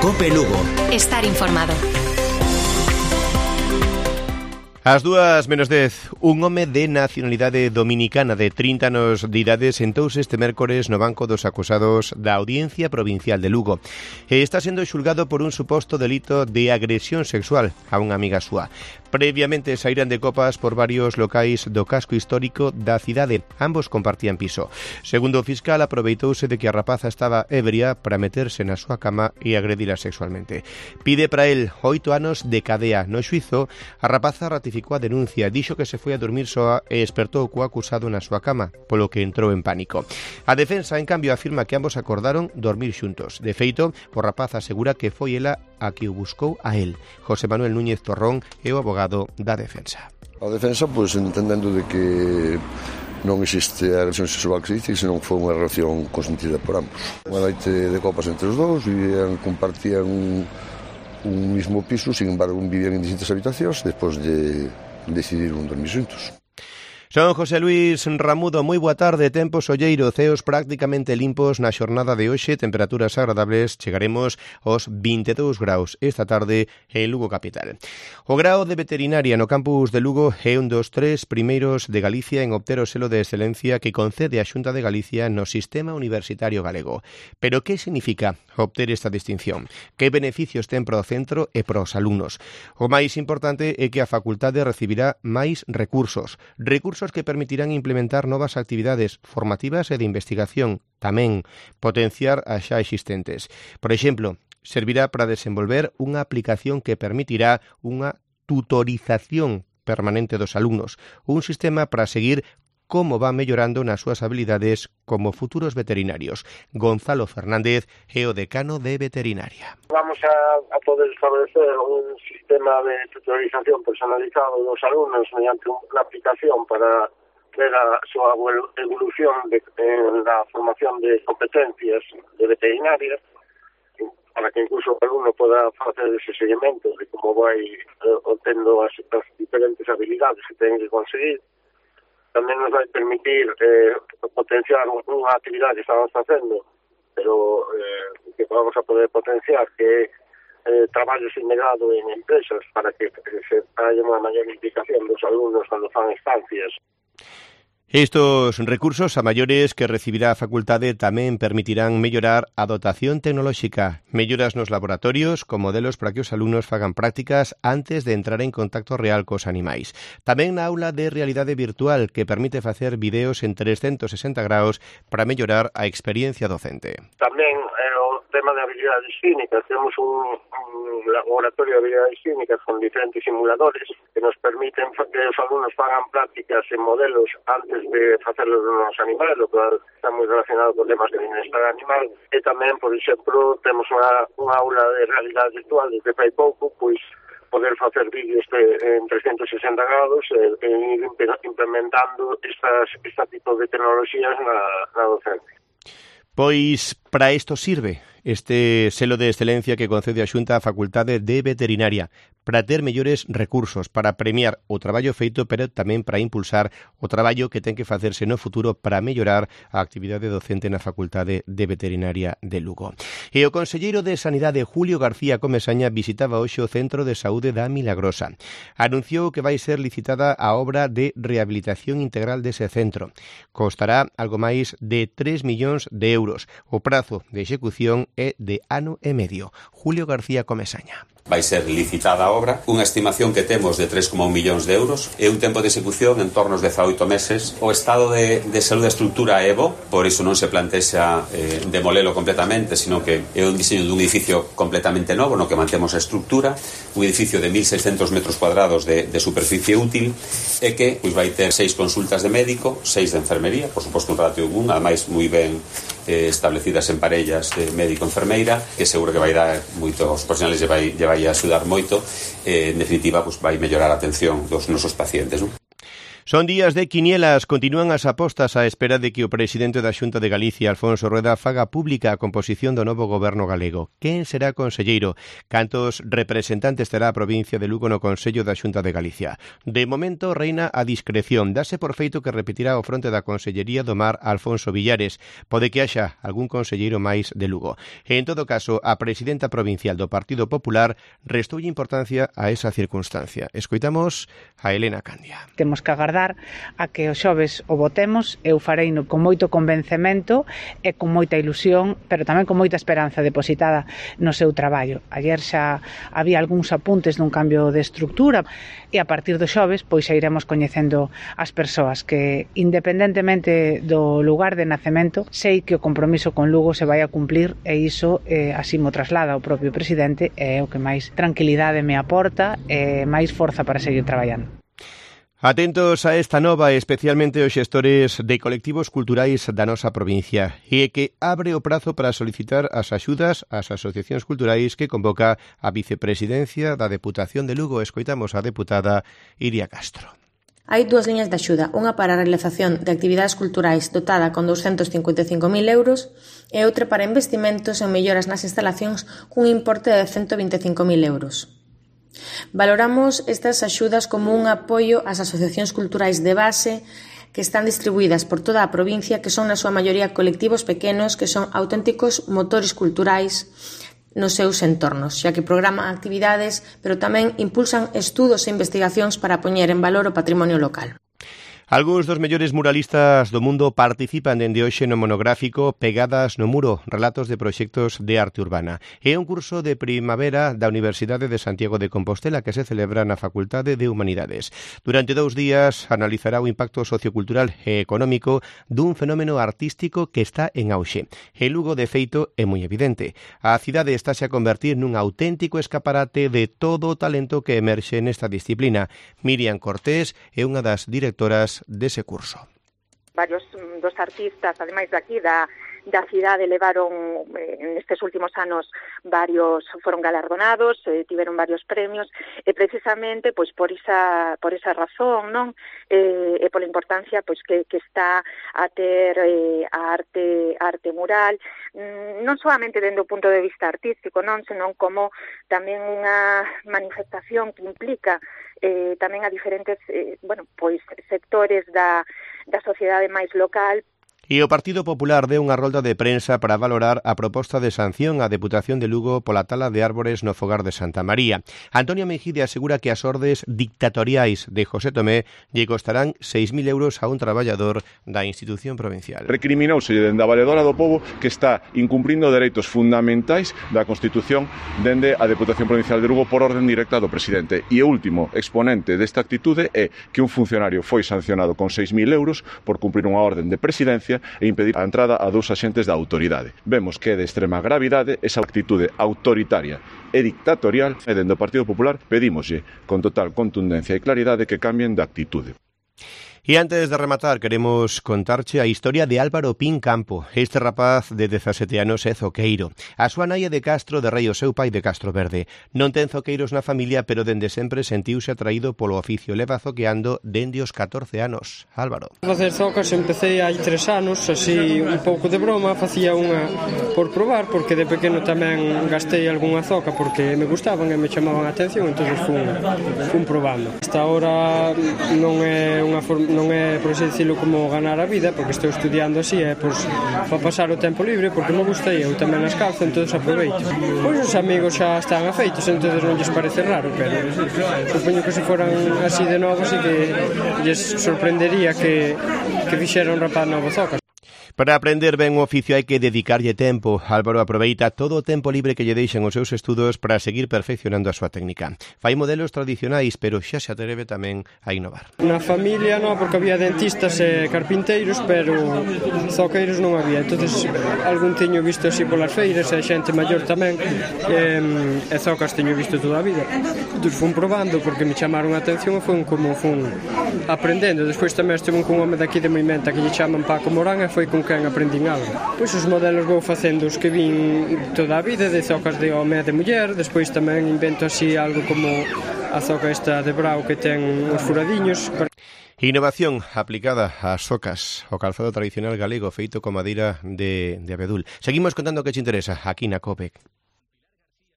COPE Lugo. Estar informado. Ás 2:10, un home de nacionalidade dominicana de 30 anos de idade sentouse este mércores no banco dos acusados da Audiencia Provincial de Lugo e está sendo xulgado por un suposto delito de agresión sexual a unha amiga súa. Previamente saíran de copas por varios locais do casco histórico da cidade. Ambos compartían piso. Segundo o fiscal, aproveitouse de que a rapaza estaba ebria para meterse na súa cama e agredila sexualmente. Pide para el 8 anos de cadea. No xuizo, a rapaza ratificou a denuncia, dixo que se foi a dormir soa e despertou co acusado na súa cama, polo que entrou en pánico. A defensa, en cambio, afirma que ambos acordaron dormir xuntos. De feito, o rapaz asegura que foi ela a que o buscou a él. José Manuel Núñez Torrón é o abogado da defensa. A defensa, pois, entendendo de que non existe a agresión sexual que se dice, senón que foi unha relación consentida por ambos. Unha noite de copas entre os dous, compartían un mismo piso, sin embargo, vivían en distintas habitacións, despois de decidir dormir xuntos. Son José Luis Ramudo, moi boa tarde, tempo solleiro, ceos prácticamente limpos na xornada de hoxe, temperaturas agradables, chegaremos aos 22 graus esta tarde en Lugo capital. O grao de veterinaria no campus de Lugo é un dos 3 primeiros de Galicia en obter o selo de excelencia que concede a Xunta de Galicia no sistema universitario galego. Pero que significa obter esta distinción? Que beneficios ten para o centro e para os alumnos? O máis importante é que a facultade recibirá máis recursos que permitirán implementar novas actividades formativas e de investigación, tamén potenciar as xa existentes. Por exemplo, servirá para desenvolver unha aplicación que permitirá unha tutorización permanente dos alumnos, un sistema para seguir como van mellorando nas súas habilidades como futuros veterinarios. Gonzalo Fernández é o decano de veterinaria. Vamos a poder establecer un sistema de tutorización personalizado dos alumnos mediante unha aplicación para ver a súa evolución en la formación de competencias de veterinarias, para que incluso o alumno poda facer ese seguimento de como vai obtendo as diferentes habilidades que ten que conseguir. Tamén nos vai permitir potenciar unha actividade que estamos facendo, pero que vamos a poder potenciar, que é traballo integrado en empresas para que se haya unha maior implicación dos alumnos cando fan estancias. Estos recursos a maiores que recibirá a facultade tamén permitirán mellorar a dotación tecnolóxica, melloras nos laboratorios con modelos para que os alumnos fagan prácticas antes de entrar en contacto real cos animais. Tamén na aula de realidade virtual que permite facer videos en 360 graus para mellorar a experiencia docente. Tamén o tema de habilidades clínicas, temos un laboratorio de habilidades clínicas con diferentes simuladores que nos permiten que os alumnos fagan prácticas en modelos antes de facerlo nos animais, lo cual está moi relacionado con temas de bienestar animal. E tamén, por exemplo, temos unha aula de realidade virtual desde fai pouco, pois poder facer vídeos en 360 grados e ir implementando este tipo de tecnologías na docencia. Pois para isto sirve este selo de excelencia que concede a Xunta á Facultade de Veterinaria, para ter mellores recursos, para premiar o traballo feito, pero tamén para impulsar o traballo que ten que facerse no futuro para mellorar a actividade docente na Facultade de Veterinaria de Lugo. E o conselleiro de Sanidade, Julio García Comesaña, visitaba hoxe o Centro de Saúde da Milagrosa. Anunciou que vai ser licitada a obra de rehabilitación integral dese centro. Costará algo máis de 3 millóns de euros. O prazo de execución é de ano e medio. Julio García Comesaña. Vai ser licitada a obra, unha estimación que temos de 3,1 millóns de euros e un tempo de execución en torno aos 18 meses. O estado de saúde da estrutura é bo, por iso non se plantexa demolelo completamente, sino que é un diseño dun edificio completamente novo no que mantemos a estrutura, un edificio de 1.600 metros cuadrados de superficie útil e que pois vai ter 6 consultas de médico, 6 de enfermería, por suposto un ratio 1, ademais moi ben establecidas en parellas de médico-enfermeira, que seguro que vai dar moito aos profesionales lle vai axudar moito, en definitiva, pues vai mellorar a atención dos nosos pacientes, non? Son días de quinielas, continúan as apostas á espera de que o presidente da Xunta de Galicia, Alfonso Rueda, faga pública a composición do novo goberno galego. Quen será conselleiro? Cantos representantes terá a provincia de Lugo no Consello da Xunta de Galicia? De momento reina a discreción. Dase por feito que repetirá o fronte da Consellería do Mar Alfonso Villares. Pode que haxa algún conselleiro máis de Lugo. En todo caso, a presidenta provincial do Partido Popular restoulle importancia a esa circunstancia. Escoitamos a Elena Candia. Temos que agardar a que os xoves o votemos. Eu fareino con moito convencemento e con moita ilusión, pero tamén con moita esperanza depositada no seu traballo. Ayer xa había algúns apuntes dun cambio de estructura e a partir do xoves pois xa iremos coñecendo as persoas que, independentemente do lugar de nacemento, sei que o compromiso con Lugo se vai a cumplir e iso así mo traslada o propio presidente e é o que máis tranquilidade me aporta e máis forza para seguir traballando. Atentos a esta nova, especialmente os xestores de colectivos culturais da nosa provincia, e que abre o prazo para solicitar as axudas ás asociacións culturais que convoca a vicepresidencia da Deputación de Lugo. Escoitamos a deputada Iria Castro. Hai dúas liñas de axuda, unha para a realización de actividades culturais dotada con 255.000 euros e outra para investimentos en melloras nas instalacións cun importe de 125.000 euros. Valoramos estas axudas como un apoio ás asociacións culturais de base que están distribuídas por toda a provincia, que son na súa maioría colectivos pequenos que son auténticos motores culturais nos seus entornos, xa que programan actividades, pero tamén impulsan estudos e investigacións para poñer en valor o patrimonio local. Algúns dos mellores muralistas do mundo participan dende hoxe no monográfico Pegadas no Muro, relatos de proxectos de arte urbana. É un curso de primavera da Universidade de Santiago de Compostela que se celebra na Facultade de Humanidades. Durante 2 días analizará o impacto sociocultural e económico dun fenómeno artístico que está en auxe. En Lugo, de feito, é moi evidente. A cidade estáse a convertir nun auténtico escaparate de todo o talento que emerxe nesta disciplina. Miriam Cortés é unha das directoras dese curso. Varios dos artistas, ademais daqui da cidade, levaron nestes últimos anos foron galardonados, tiveron varios premios e precisamente pois por esa razón, non? E pola importancia pois que está a ter a arte mural, non solamente dende o punto de vista artístico, non, senón como tamén unha manifestación que implica tamén a diferentes sectores da sociedade máis local. E o Partido Popular deu unha rolda de prensa para valorar a proposta de sanción á Deputación de Lugo pola tala de árbores no fogar de Santa María. Antonio Mejide asegura que as ordes dictatoriais de José Tomé lle costarán 6.000 euros a un traballador da institución provincial. Recriminouse dende a Valedora do Pobo que está incumprindo dereitos fundamentais da Constitución dende a Deputación Provincial de Lugo por orden directa do presidente. E o último exponente desta actitude é que un funcionario foi sancionado con 6.000 euros por cumprir unha orden de presidencia e impedir a entrada a 2 axentes da autoridade. Vemos que é de extrema gravidade esa actitude autoritaria e dictatorial e dende o Partido Popular pedímoslle con total contundencia e claridade que cambien de actitude. E antes de rematar, queremos contarche a historia de Álvaro Pín Campo. Este rapaz de 17 anos é zoqueiro. A súa nai é de Castro de Rei, o seu pai de Castro Verde. Non ten zoqueiros na familia, pero dende sempre sentiuse atraído polo oficio. Leva zoqueando dende os 14 anos. Álvaro. Facer zocas empecé hai 3 anos, así un pouco de broma, facía unha por probar, porque de pequeno tamén gastei algunha zoca porque me gustaban e me chamaban a atención, entón fun probando. Hasta ahora non é unha forma, non é, por así dicilo, como ganar a vida, porque estou estudiando así, é para pasar o tempo libre, porque me gusta e eu tamén as calzo, entón aproveito. Pois os amigos xa están afeitos, entón non lles parece raro, pero supoño que se foran así de novo, así que lles sorprendería que fixera un rapaz novo zocas. Para aprender ben o oficio hai que dedicarlle tempo. Álvaro aproveita todo o tempo libre que lle deixan os seus estudos para seguir perfeccionando a súa técnica. Fai modelos tradicionais, pero xa se atreve tamén a innovar. Na familia non, porque había dentistas e carpinteiros, pero zoqueiros non había. Entonces, algún teño visto así polas feiras, e xente maior tamén, e zocas teño visto toda a vida. Entón, fun probando porque me chamaron a atención e fun aprendendo. Despois tamén estive cun home daqui de Moimenta que lle chaman Paco Morán e foi con quen aprendín algo. Pois os modelos vou facendo os que vin toda a vida, de zocas de home e de muller, despois tamén invento así algo como a zoca esta de brao que ten os furadiños. Innovación aplicada ás socas, o calzado tradicional galego feito con madeira de abedul. Seguimos contando que te interesa aquí na COPE.